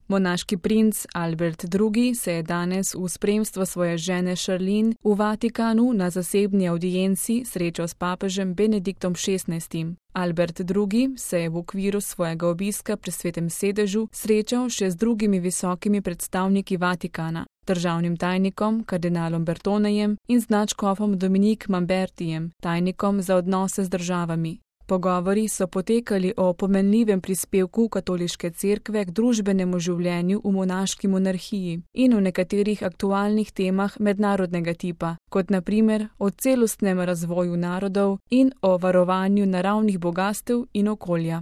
Monaški princ Albert II. Se je danes v spremstvu svoje žene Charlene v Vatikanu na zasebni avdienci srečal s papežem Benediktom XVI. Albert II. Se je v okviru svojega obiska pri Svetem sedežu srečal še z drugimi visokimi predstavniki Vatikana, državnim tajnikom kardinalom Bertonejem in z nadškofom Dominique Mambertijem, tajnikom za odnose z državami. Pogovori so potekali o pomenljivem prispevku katoliške cerkve k družbenemu življenju v monaški monarhiji in o nekaterih aktualnih temah mednarodnega tipa, kot na primer o celostnem razvoju narodov in o varovanju naravnih bogastev in okolja.